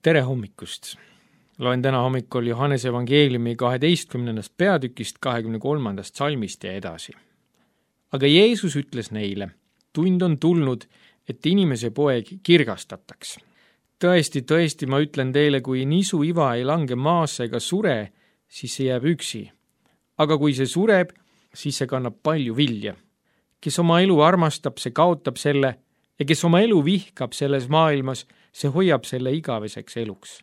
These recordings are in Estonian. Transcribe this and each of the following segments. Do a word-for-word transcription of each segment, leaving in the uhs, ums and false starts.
Tere hommikust! Loen täna hommikul Johannese evangeeliumi kaheteistkümnendast peatükist kahekümne kolmandast salmist ja edasi. Aga Jeesus ütles neile, tund on tulnud, et inimese poeg kirgastataks. Tõesti, tõesti, ma ütlen teile, kui nisu iva ei lange maasse ega sure, siis see jääb üksi. Aga kui see sureb, siis see kannab palju vilja. Kes oma elu armastab, see kaotab selle, ja kes oma elu vihkab selles maailmas, see hoiab selle igaveseks eluks.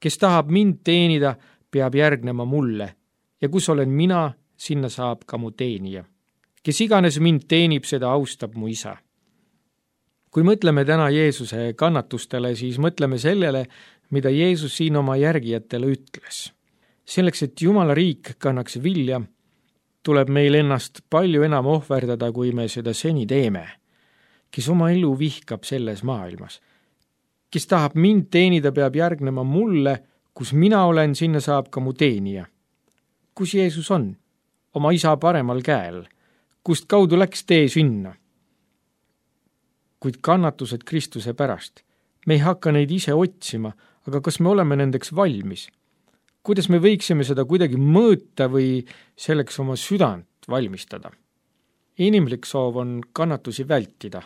Kes tahab mind teenida, peab järgnema mulle, ja kus olen mina, sinna saab ka mu teenija. Kes iganes mind teenib, seda austab mu isa. Kui mõtleme täna Jeesuse kannatustele, siis mõtleme sellele, mida Jeesus siin oma järgijatele ütles. Selleks, et Jumala riik kannaks vilja, tuleb meil ennast palju enam ohverdada, kui me seda seni teeme. Kes oma elu vihkab selles maailmas. Kes tahab mind teenida, peab järgnema mulle, kus mina olen, sinna saab ka mu teenija. Kus Jeesus on? Oma isa paremal käel. Kust kaudu läks tee sinna? Kuid kannatused Kristuse pärast. Me ei hakka neid ise otsima, aga kas me oleme nendeks valmis? Kuidas me võiksime seda kuidagi mõõta või selleks oma südant valmistada? Inimlik soov on kannatusi vältida.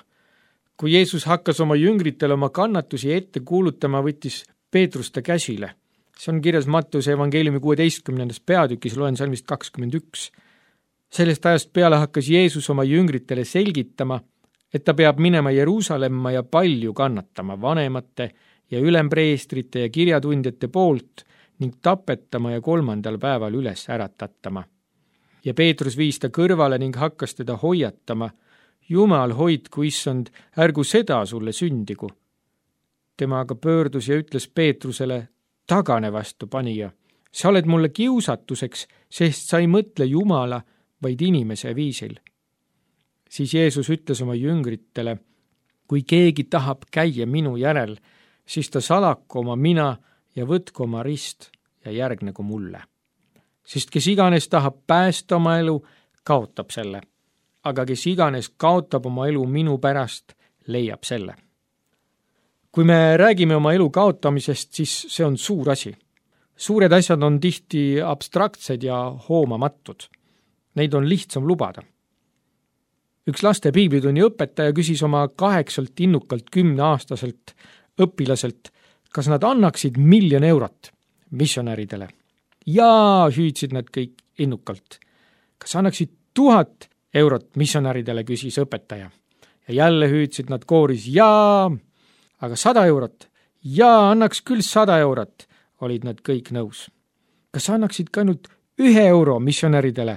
Kui Jeesus hakkas oma jüngritele oma kannatusi ette kuulutama, võttis Peetrus ta käsile. See on kirjas Mattuse evangeeliumi kuueteistkümnendas peatükis, loen salmist kakskümmend üks. Sellest ajast peale hakkas Jeesus oma jüngritele selgitama, et ta peab minema Jeruusalemma ja palju kannatama vanemate ja ülempreestrite ja kirjatundjate poolt ning tapetama ja kolmandal päeval üles äratatama. Ja Peetrus viis ta kõrvale ning hakkas teda hoiatama, Jumal hoidku, issand, ärgu seda sulle sündigu. Tema aga pöördus ja ütles Peetrusele, tagane vastu panija. Sa oled mulle kiusatuseks, sest sa ei mõtle Jumala, vaid inimese viisil. Siis Jeesus ütles oma jüngritele, kui keegi tahab käia minu järel, siis ta salaku oma mina ja võtku oma rist ja järgnegu mulle. Sest kes iganes tahab päästa oma elu, kaotab selle. Aga kes iganes kaotab oma elu minu pärast, leiab selle. Kui me räägime oma elu kaotamisest, siis see on suur asi. Suured asjad on tihti abstraktsed ja hoomamatud. Neid on lihtsam lubada. Üks laste piiblitunni õpetaja küsis oma kaheksalt innukalt kümneaastaselt õpilaselt, kas nad annaksid miljon eurot missionäridele. Jaa, hüüdsid nad kõik innukalt. Kas annaksid tuhat eurot missionäridele, küsis õpetaja. Ja jälle hüüdsid nad kooris, jaa, aga sada eurot, jaa, annaks küll sada eurot, olid nad kõik nõus. Kas annaksid ka ainult ühe euro missionäridele,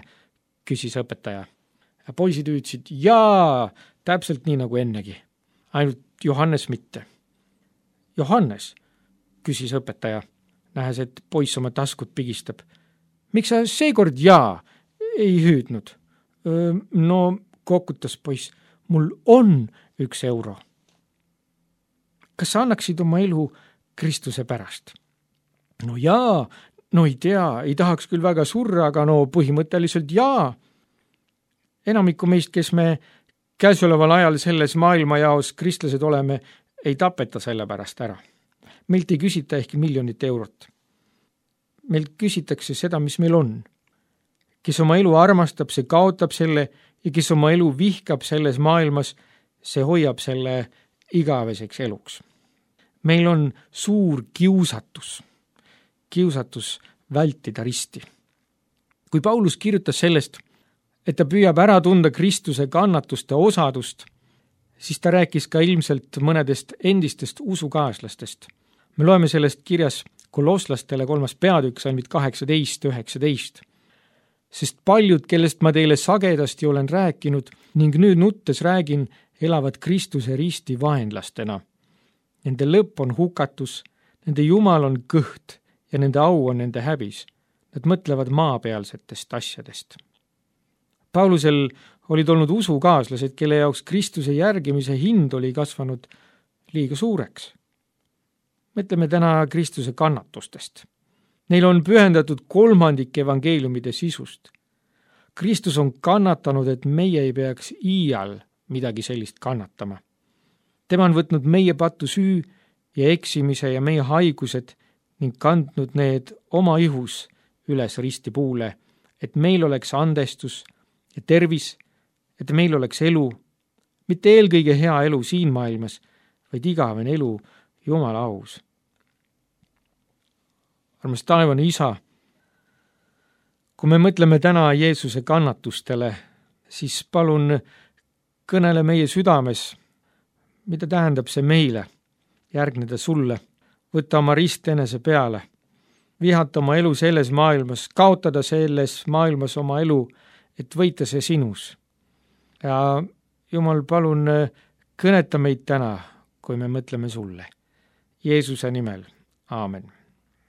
küsis õpetaja. Ja poisid hüüdsid, jaa, täpselt nii nagu ennegi, ainult Johannes mitte. Johannes, küsis õpetaja, nähes, et poiss oma taskut pigistab. Miks sa seekord jaa ei hüüdnud? No, kokutas poiss, mul on üks euro. Kas sa annaksid oma elu Kristuse pärast? No jaa, no ei tea, ei tahaks küll väga surra, aga no põhimõtteliselt jaa. Enamiku meist, kes me käesoleval ajal selles maailmajaos kristlased oleme, ei tapeta selle pärast ära. Meilt ei küsita ehk miljonit eurot. Meilt küsitakse seda, mis meil on. Kes oma elu armastab, see kaotab selle ja kes oma elu vihkab selles maailmas, see hoiab selle igaveseks eluks. Meil on suur kiusatus. Kiusatus vältida risti. Kui Paulus kirjutas sellest, et ta püüab ära tunda Kristuse kannatuste osadust, siis ta rääkis ka ilmselt mõnedest endistest usukaaslastest. Me loeme sellest kirjas Kolosslastele kolmas peatükk, salmid kaheksateist üheksateist. Sest paljud, kellest ma teile sagedasti olen rääkinud ning nüüd nuttes räägin, elavad Kristuse risti vaenlastena. Nende lõpp on hukatus, nende Jumal on kõht ja nende au on nende häbis. Nad mõtlevad maapealsetest asjadest. Paulusel olid olnud usukaaslased, kelle jaoks Kristuse järgimise hind oli kasvanud liiga suureks. Mõtleme täna Kristuse kannatustest. Neil on pühendatud kolmandik evangeeliumide sisust. Kristus on kannatanud, et meie ei peaks iial midagi sellist kannatama. Tema on võtnud meie patu süü ja eksimise ja meie haigused ning kandnud need oma ihus üles ristipuule, et meil oleks andestus ja tervis, et meil oleks elu, mitte eelkõige hea elu siin maailmas, vaid igavene elu Jumala aus. Armas taevane Isa, kui me mõtleme täna Jeesuse kannatustele, siis palun kõnele meie südames, mida tähendab see meile, järgneda sulle, võtta oma rist enese peale, vihata oma elu selles maailmas, kaotada selles maailmas oma elu, et võita see sinus. Ja Jumal, palun kõneta meid täna, kui me mõtleme sulle. Jeesuse nimel. Aamen.